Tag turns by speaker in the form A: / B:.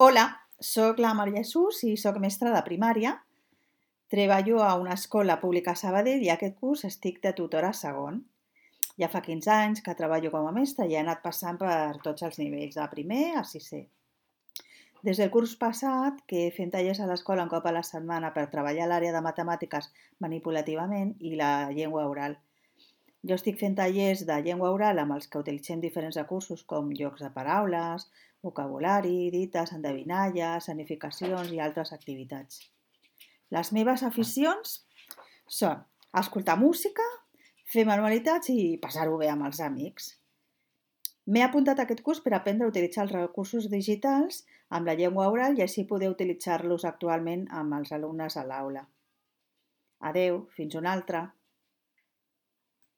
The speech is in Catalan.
A: Hola, sóc la Maria Jesús i sóc mestra de primària. Treballo a una escola pública a Sabadell i aquest curs estic de tutora a segon. Ja fa 15 anys que treballo com a mestra i he anat passant per tots els nivells, de primer a sisè. Des del curs passat, que fem tallers a l'escola un cop a la setmana per treballar l'àrea de matemàtiques manipulativament i la llengua oral. Jo estic fent tallers de llengua oral amb els que utilitzem diferents recursos com jocs de paraules, vocabulari, dites, endevinalles, sanificacions i altres activitats. Les meves aficions són escoltar música, fer manualitats i passar-ho bé amb els amics. M'he apuntat a aquest curs per aprendre a utilitzar els recursos digitals amb la llengua oral i així poder utilitzar-los actualment amb els alumnes a l'aula. Adeu, fins una altra.